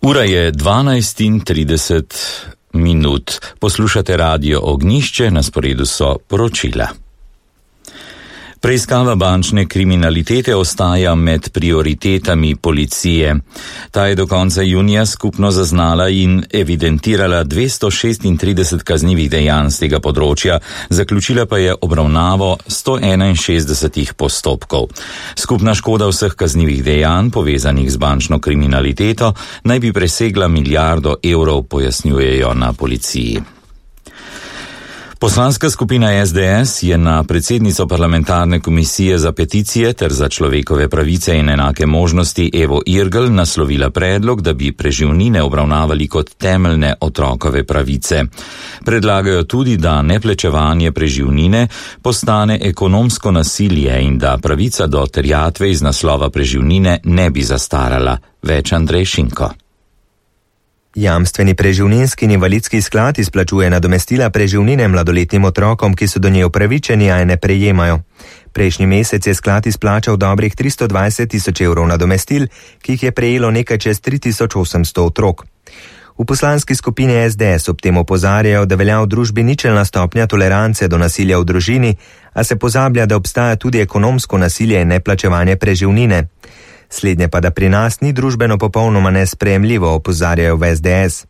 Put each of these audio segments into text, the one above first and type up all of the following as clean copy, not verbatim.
Ura je 12:30. Poslušate Radio Ognjišče, na sporedu so poročila. Preiskava bančne kriminalitete ostaja med prioritetami policije. Ta je do konca junija skupno zaznala in evidentirala 236 kaznivih dejanj z tega področja, zaključila pa je obravnavo 161 postopkov. Skupna škoda vseh kaznivih dejanj, povezanih z bančno kriminaliteto, naj bi presegla milijardo evrov, pojasnjujejo na policiji. Poslanska skupina SDS je na predsednico parlamentarne komisije za peticije ter za človekove pravice in enake možnosti Evo Irgl naslovila predlog, da bi preživnine obravnavali kot temeljne otrokove pravice. Predlagajo tudi, da neplačevanje preživnine postane ekonomsko nasilje in da pravica do terjatve iz naslova preživnine ne bi zastarala. Več Andrej Šinko. Jamstveni preživninski in invalidski sklad izplačuje nadomestila preživnine mladoletnim otrokom, ki so do nje upravičeni, a je ne prejemajo. Prejšnji mesec je sklad izplačal dobrih 320 tisoč evrov nadomestil, ki jih je prejelo nekaj čez 3800 otrok. V poslanski skupini SDS ob tem opozarjajo, da velja v družbi ničelna stopnja tolerance do nasilja v družini, a se pozablja, da obstaja tudi ekonomsko nasilje in neplačevanje preživnine. Slednje pa, da pri nas ni družbeno popolnoma nesprejemljivo, opozarjajo v SDS.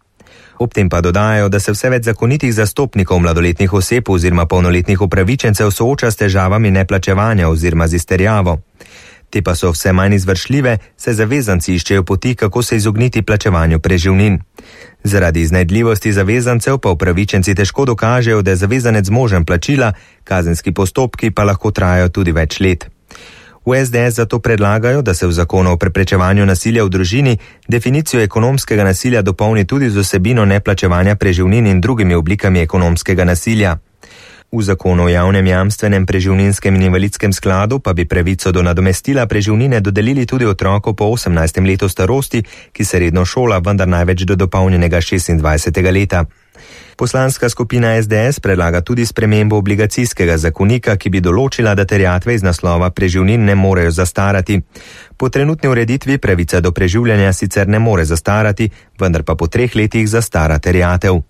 Ob tem pa dodajajo, da se vse več zakonitih zastopnikov mladoletnih oseb oziroma polnoletnih upravičencev sooča s težavami neplačevanja oziroma z izterjavo. Te pa so vse manj izvršljive, saj zavezanci iščejo poti, kako se izogniti plačevanju preživnin. Zaradi iznajdljivosti zavezancev pa upravičenci težko dokažejo, da je zavezanec zmožen plačila, kazenski postopki pa lahko trajajo tudi več let. V SDS zato predlagajo, da se v zakonu o preprečevanju nasilja v družini definicijo ekonomskega nasilja dopolni tudi z vsebino neplačevanja preživnin in drugimi oblikami ekonomskega nasilja. V zakonu o javnem jamstvenem preživninskem in invalidskem skladu pa bi pravico do nadomestila preživnine dodelili tudi otroku po 18. letu starosti, ki se redno šola, vendar največ do dopolnjenega 26. leta. Poslanska skupina SDS predlaga tudi spremembo obligacijskega zakonika, ki bi določila, da terjatve iz naslova preživnin ne morejo zastarati. Po trenutni ureditvi pravica do preživljanja sicer ne more zastarati, vendar pa po 3 letih zastara terjatev.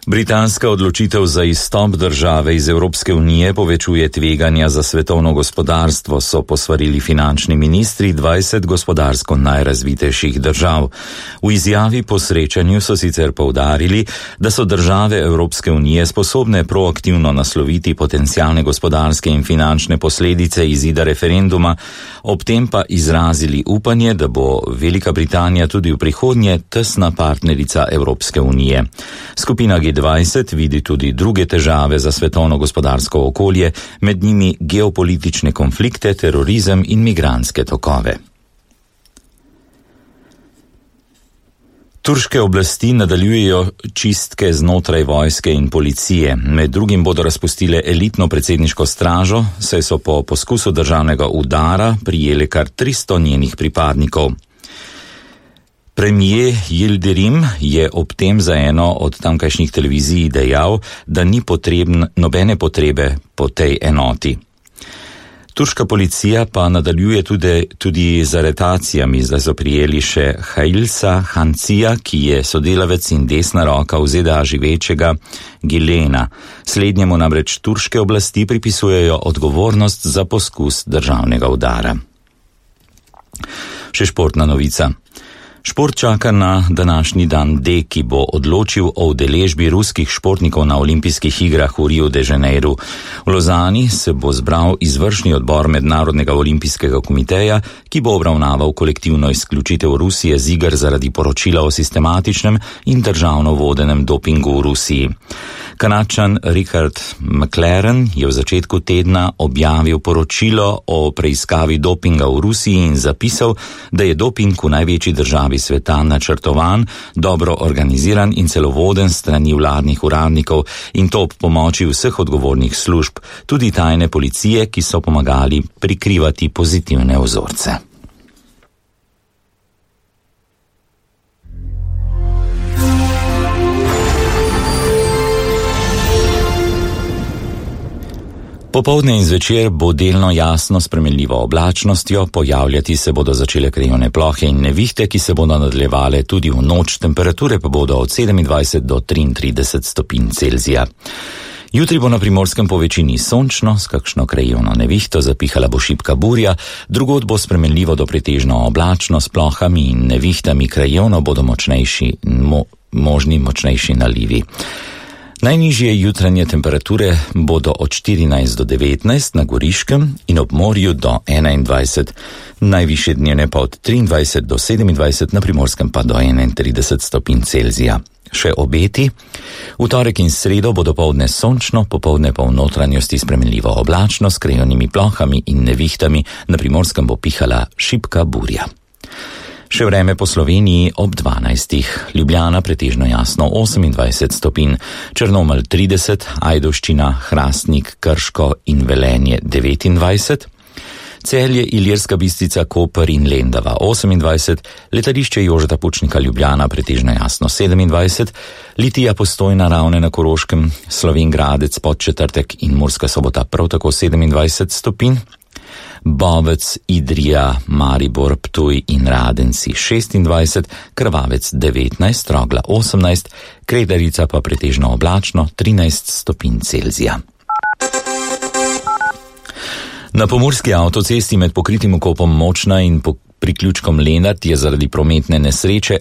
Britanska odločitev za izstop države iz Evropske unije povečuje tveganja za svetovno gospodarstvo, so posvarili finančni ministri 20 gospodarsko najrazvitejših držav. V izjavi po srečanju so sicer poudarili, da so države Evropske unije sposobne proaktivno nasloviti potencialne gospodarske in finančne posledice izida referenduma, ob tem pa izrazili upanje, da bo Velika Britanija tudi v prihodnje tesna partnerica Evropske unije. Skupina G20 vidi tudi druge težave za svetovno gospodarsko okolje, med njimi geopolitične konflikte, terorizem in migrantske tokove. Turške oblasti nadaljujejo čistke znotraj vojske in policije. Med drugim bodo razpustile elitno predsedniško stražo, saj so po poskusu državnega udara prijele kar 300 njenih pripadnikov. Premijer Yildirim je ob tem za eno od tamkajšnjih televizij dejal, da ni nobene potrebe po tej enoti. Turška policija pa nadaljuje tudi z aretacijami. Zdaj so prijeli še Hailsa Hancija, ki je sodelavec in desna roka v ZDA živečega Gilena. Slednjemu namreč turške oblasti pripisujejo odgovornost za poskus državnega udara. Še športna novica. Šport čaka na današnji dan D, ki bo odločil o udeležbi ruskih športnikov na olimpijskih igrah v Rio de Janeiro. V Lozani se bo zbral izvršni odbor Mednarodnega olimpijskega komiteja, ki bo obravnaval kolektivno izključitev Rusije z iger zaradi poročila o sistematičnem in državno vodenem dopingu v Rusiji. Kanadčan Richard McLaren je v začetku tedna objavil poročilo o preiskavi dopinga v Rusiji in zapisal, da je doping v največji državi sveta načrtovan, dobro organiziran in celo voden strani vladnih uradnikov, in to ob pomoči vseh odgovornih služb, tudi tajne policije, ki so pomagali prikrivati pozitivne vzorce. Popoldne in zvečer bo delno jasno s spremenljivo oblačnostjo, pojavljati se bodo začele krajevne plohe in nevihte, ki se bodo nadaljevale tudi v noč, temperature pa bodo od 27 do 33 stopinj Celzija. Jutri bo na Primorskem po večini sončno, s kakšno krajevno nevihto, zapihala bo šibka burja, drugod bo spremenljivo do pretežno oblačno s plohami in nevihtami, krajevno bodo možni močnejši nalivi. Najnižje jutranje temperature bodo od 14 do 19 na Goriškem in ob morju do 21, najvišje dnevne pa od 23 do 27, na Primorskem pa do 31 stopinj Celzija. Še obeti. V torek in sredo bo dopoldne sončno, popoldne pa v notranjosti spremenljivo oblačno s krajevnimi plohami in nevihtami, na Primorskem bo pihala šibka burja. Še vreme po Sloveniji ob 12. Ljubljana pretežno jasno 28 stopinj, Črnomelj 30, Ajdovščina, Hrastnik, Krško in Velenje 29, Celje, Ilirska Bistrica, Koper in Lendava 28, letališče Jožeta Pučnika Ljubljana pretežno jasno 27, Litija, Postojna, Ravne na Koroškem, Slovenj Gradec, Podčetrtek in Murska Sobota prav tako 27 stopinj, Bovec, Idrija, Maribor, Ptuj in Radenci 26, Krvavec 19, Trogla 18, Kredarica pa pretežno oblačno 13 stopinj Celzija. Na pomurski avtocesti med pokritim vkopom Močna in priključkom Lenart je zaradi prometne nesreče